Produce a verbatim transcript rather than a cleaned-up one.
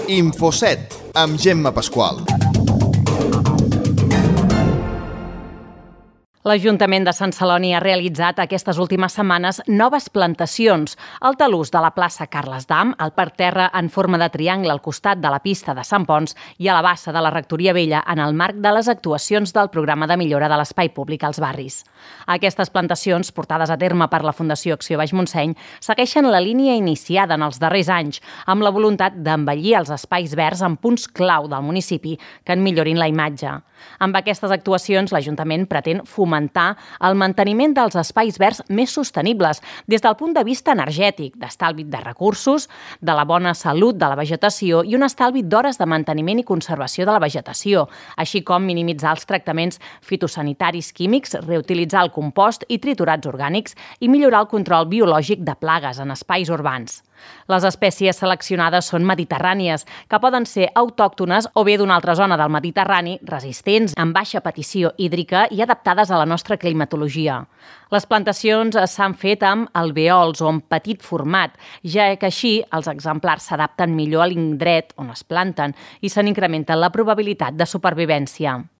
Infoset, amb Gemma Pasqual. L'Ajuntament de Sant Celoni ha realitzat aquestes últimes setmanes noves plantacions al talús de la plaça Carles Dam, al parterre en forma de triangle al costat de la pista de Sant Pons i a la bassa de la Rectoria Vella en el marc de les actuacions del programa de millora de l'espai públic als barris. Aquestes plantacions, portades a terme per la Fundació Acció Baix Montseny, segueixen la línia iniciada en els darrers anys, amb la voluntat d'embellir els espais verds en punts clau del municipi que en millorin la imatge. Amb aquestes actuacions, l'Ajuntament pretén fomentar el manteniment dels espais verds més sostenibles des del punt de vista energètic, d'estalvi de recursos, de la bona salut de la vegetació i un estalvi d'hores de manteniment i conservació de la vegetació, així com minimitzar els tractaments fitosanitaris químics, reutilitzar el compost i triturats orgànics i millorar el control biològic de plagues en espais urbans. Les espècies seleccionades són mediterrànies, que poden ser autòctones o bé d'una altra zona del Mediterrani, resistents, amb baixa petició hídrica i adaptades a la nostra climatologia. Les plantacions s'han fet amb alvèols o en petit format, ja que així els exemplars s'adapten millor a l'indret on es planten i se n'incrementa la probabilitat de supervivència.